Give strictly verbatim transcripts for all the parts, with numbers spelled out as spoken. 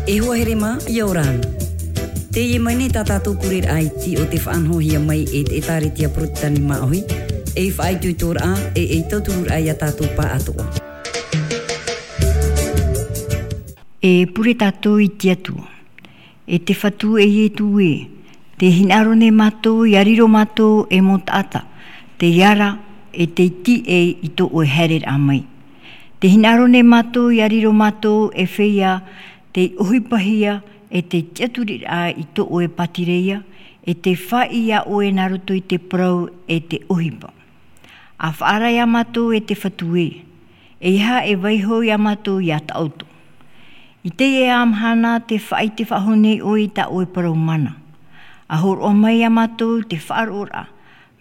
E hoa here mā, ʻia ora na. Teie mai nei tā tātou pureraʻa iti o te faʻanahohia mai e te ʻĒtārētia Porotetani Māʻohi, ei faʻaitoitoraʻa, e ei tautururaʻa ia tātou pāʻatoʻa. E pure tātou i te Atua. E te Fatu e Ietu ē, tē hinaʻaro nei mātou ʻia riro mātou ei mau taʻata, tei ara, e tei tiʻa i tō ʻoe haereraʻa mai. Tē hinaʻaro nei mātou ʻia riro mātou ei feiā, tei ʻohipahia, e tei tiʻaturiraʻa i tō ʻoe pātireia, e tei fāʻi iā ʻoe nā roto i te parau e te ʻohipa. ʻA faʻaara iā mātou e te Fatu ē, ʻeiaha e vaiiho iā mātou iā Taʻoto. I teie mahana tē faʻaʻite faʻahou nei ʻoe i tā ʻoe parau mana. ʻA hōroʻa mai iā mātou te faʻaroʻoraʻa,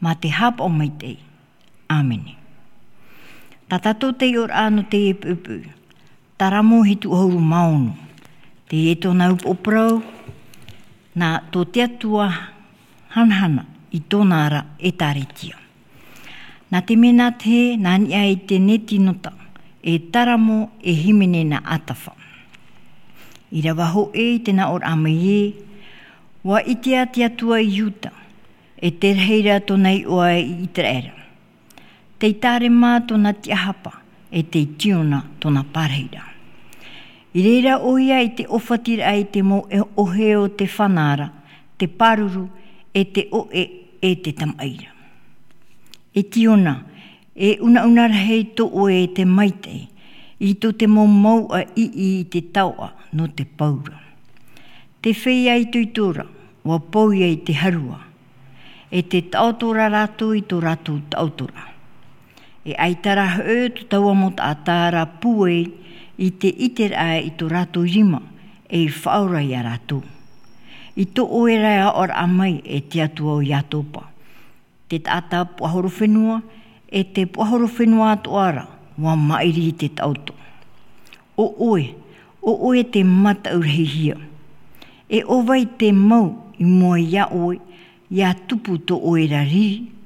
mā te haʻapaʻo maitaʻi. ʻĀmene. Tā tātou taiʻoraʻa nō teie poʻipoʻi. Taramo hitu ʻahuru mā ono. Teie tōna upoʻo parau, nā tō te Atua hanahana i tōna ra ʻĒtārētia. Nā te mea nā te hē, nā niʻa i te neti nota, e Taramo e hīmene nā ʻĀtafa. ʻĪrava hōʻē i te nāʻōraʻa mai ē, ʻua ʻitea te Atua i Iuta, e te rahi ra tōna iʻoa i ʻĪteraʻera. Tei Tarema tōna tiʻahapa, e tei Tiona tōna pārahi ra. I reira ʻoia i te ʻōfatiraʻa i te mau e-, ʻohe o te fana ra, te pāruru, e te ʻoʻe, e te tamaʻi ra. E Tiona, e unauna rahi tō ʻoe e te maitaʻi, i tō te mau mouʻa ʻiʻi i te taoʻa nō te pau ra. Te feiā itoito ra, ʻua pau ia i te harua. E te taʻoto ra rātou i tō rātou taʻoto ra. E ʻaita rā hoʻi tō taua mau taʻata ra pūai i te ʻiteraʻa i tō rātou rima, ei faʻaora iā rātou. I tō ʻoe ra aʻoraʻa mai e te Atua o Iatopa. Te taʻata puahoro fenua, e te puahoro fenua atoʻa ra, ʻua maʻiri i te taʻoto. ʻO ʻoe, ʻo ʻoe te mataʻu rahihia. E ʻo vai te mau i mua iā ʻoe, ʻia tupu tō ʻoe ra riri?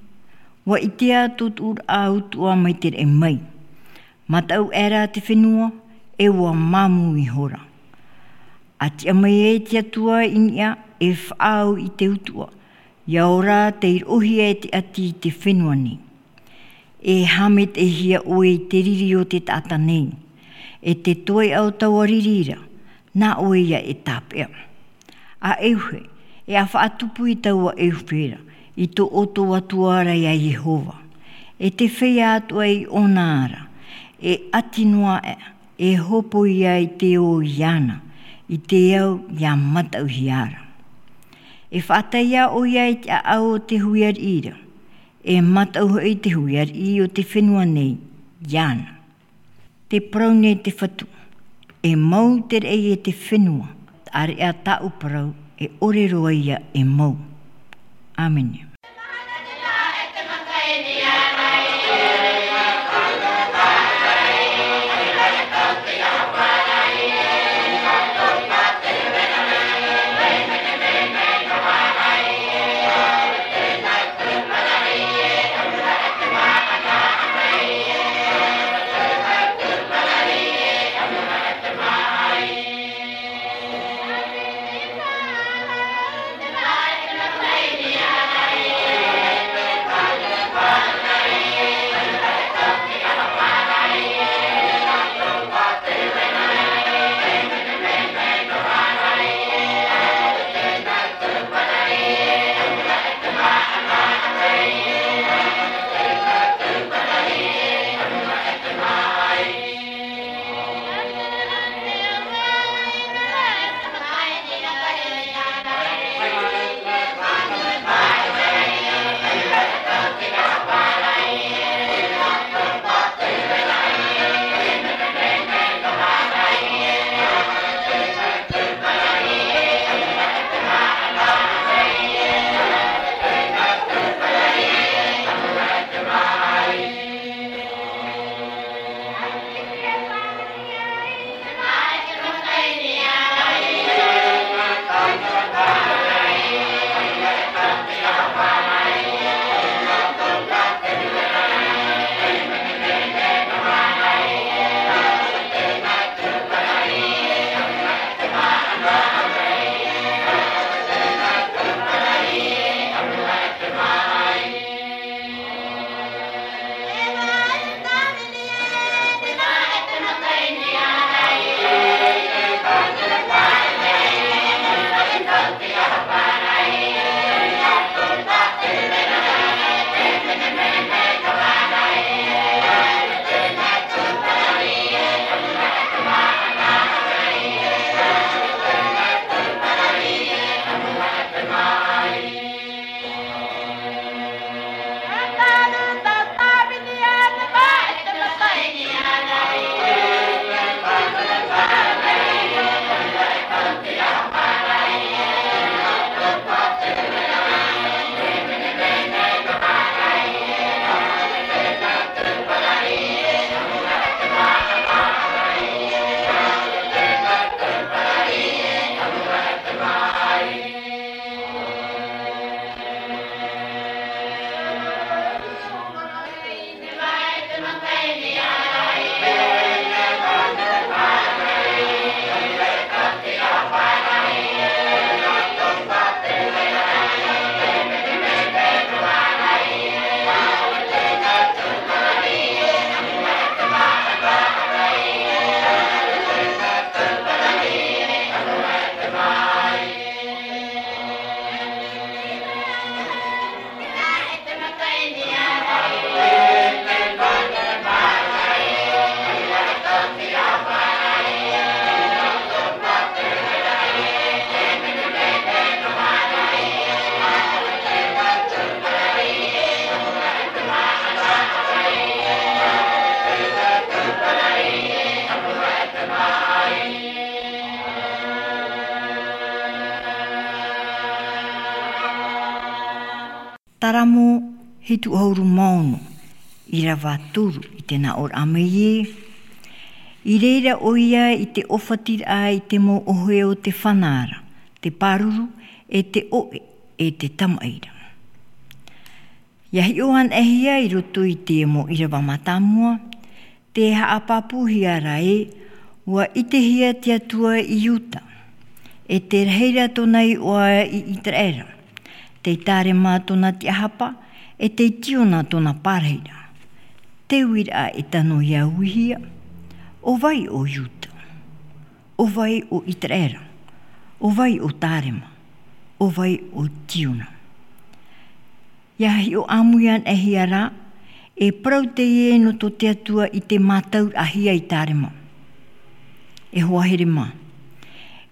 ʻUa ʻitea tō tuʻuraʻa utuʻa mai te raʻi mai. Mataʻu aʻera te fenua, e ʻua māmū ihora. ʻA tiʻa mai ai te Atua i niʻa e faʻaau i te utuʻa, ʻia ora tei roʻohia e te ʻati i te fenua nei. E haʻamaitaʻihia ʻoe i te riri o te taʻata nei, e te toeʻa o taua riri ra, nā ʻoe ia e tāpeʻa. ʻA ʻeuhe, e ʻa faʻatupu i taua ʻeuhe ra, i tō ʻoutou Atua ra iā Iehova. E te feiā atoʻa i ʻōna ra, e ʻati noa aʻe, e hōpoi ia i te ō iāna, i te au ʻia mataʻuhia ra. E faʻatae ʻoia i te ʻāʻau o te hui ariʻi ra, e mataʻu hoʻi te hui ariʻi o te fenua nei iāna. Tē parau nei te Fatu, e mau te raʻi e te fenua, ʻāreʻa tāʻu parau, e ʻore roa ia e mau. ʻĀmene. Salamo hitu ʻahuru mā ono, ʻīrava toru i te nā ʻōraʻa mai ē: I reira ʻoia i te ʻōfatiraʻa i te mau ʻohe o te fana ra, te pāruru, e te ʻoʻe, e te tamaʻi ra. ʻIa hiʻo anaʻe hia i roto i te mau ʻīrava mātāmua, tē haʻapāpūhia ra ē, ʻua ʻitehia te Atua i Iuta, e tē rahi ra tōna iʻoa i ʻĪteraʻera, tei Tarema tōna tiʻahapa, e tei Tiona tōna pārahi ra. Te uiraʻa e tano ʻia uihia: ʻO vai ʻo Iuta? ʻO vai ʻo ʻĪteraʻera? ʻO vai ʻo Tarema? ʻO vai ʻo Tiona? ʻIa hiʻo ʻāmui anaʻe hia ra, e parau teie nō tō te Atua i te mātauraʻahia i Tarema. E hoa here mā,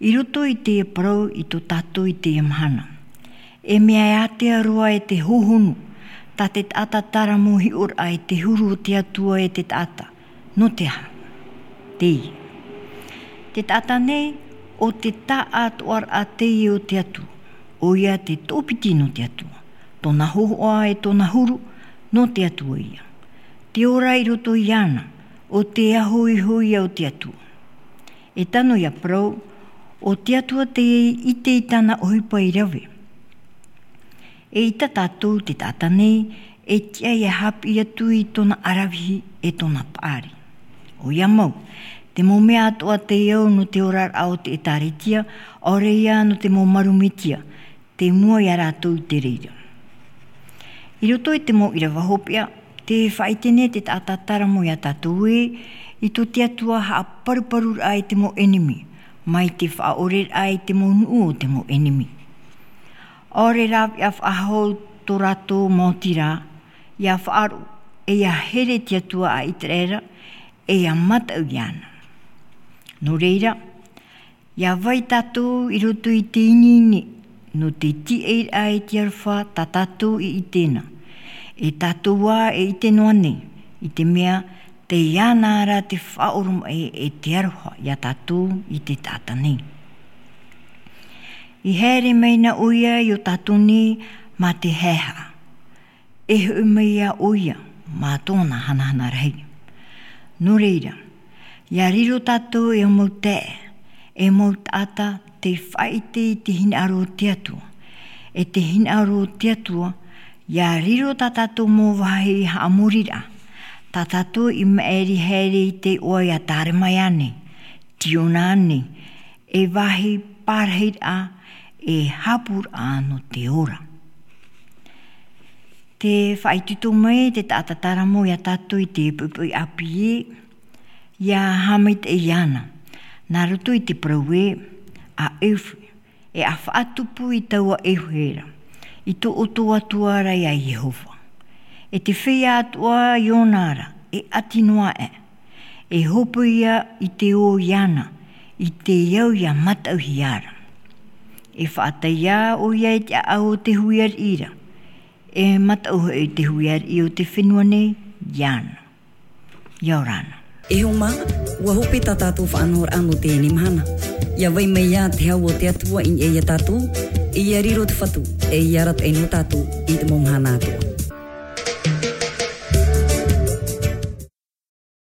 i roto i teie parau i tō tātou i teie mahana, e mea ātea roa e te hōhonu tā te taʻata taramo hiʻoraʻa i te huru o te Atua e te taʻata. Nō te aha? Teie. Te taʻata nei, ʻo te taʻatoʻaraʻa teie o te Atua, ʻoia te toʻopiti nō te Atua, tōna hōhoʻa e tōna huru nō te Atua ïa. Te ora i roto iāna, ʻo te aho iho ïa o te Atua. E tano ʻia parau, ʻo te Atua tei ʻite i tāna ʻohipa i rave. E ʻita tātou te taʻata nei, e tiʻa ʻia haʻapiʻi atu i tōna ʻaravihi e tōna paʻari. ʻOia mau, te mau mea atoʻa tei au nō te oraraʻa o te ʻĒkālesia, ʻaore ïa nō te mau maru metia, tei mua iā rātou i te reira. I roto i te mau ʻīrava hopeʻa, tē faʻaʻite nei te taʻata taramo iā tātou ē, i tō te Atua haʻaparuparuraʻa i te mau ʻenemi, mai te faʻaʻoreraʻa i te mau nuʻu o te mau ʻenemi. ʻAore rāveʻa faʻahou tō rātou maoti rā, ʻia faʻaroʻo, e ʻia here te Atua a ʻĪteraʻera, e ʻia mataʻu iāna. Nō reira, ʻia vai tātou i roto i te ineine, nō te tīaʻiraʻa i te aroha tā tātou i ʻite na. E tātou ā e ʻite noa nei, i te mea, tei iāna ra te faʻaoromaʻi e te aroha iā tātou i te taʻata nei. I haere mai na ʻoia i ō tātou nei mā te haehaʻa. E hoʻi mai ā ʻoia mā tōna hanahana rahi. Nō reira, ʻia riro tātou e mau taeaʻe, e mau taʻata tei faʻaʻite i te hinaʻaro o te Atua. E te hinaʻaro o te Atua, ʻia riro tā tātou mau vāhi haʻamoriraʻa, tā tātou i maʻiri haere i te iʻoa iā Tarema ānei, Tiona ānei, e vāhi pārahiraʻa, e hapuraʻa nō te ora. Tē faʻaitoito mai te taʻata taramo iā tātou i te poʻipoʻi ʻāpī ē, ʻia haʻamaitaʻi iāna. Nā roto i te parau ē, ʻa ʻEuhe, e ʻa faʻatupu i taua ʻeuhe ra, i tō ʻoutou Atua ra iā Iehova. E te feiā atoʻa i ʻōna ra, e ʻati noa aʻe. E hōpoi ïa i te ō iāna, i te au ʻia mataʻuhia ra. E faʻatae ïa ʻoia i te ʻāʻau o te hui ariʻi ra, e mataʻu hoʻi te hui ariʻi o te fenua nei iāna. ʻIa ora na. E hoa mā, ʻua hope tā tātou faʻanahoraʻa nō teie mahana. ʻIa vai mai ā te hau o te Atua i niʻa iā tātou, e ʻia riro te Fatu, e ʻia arataʻi nō tātou i te mau mahana atoʻa.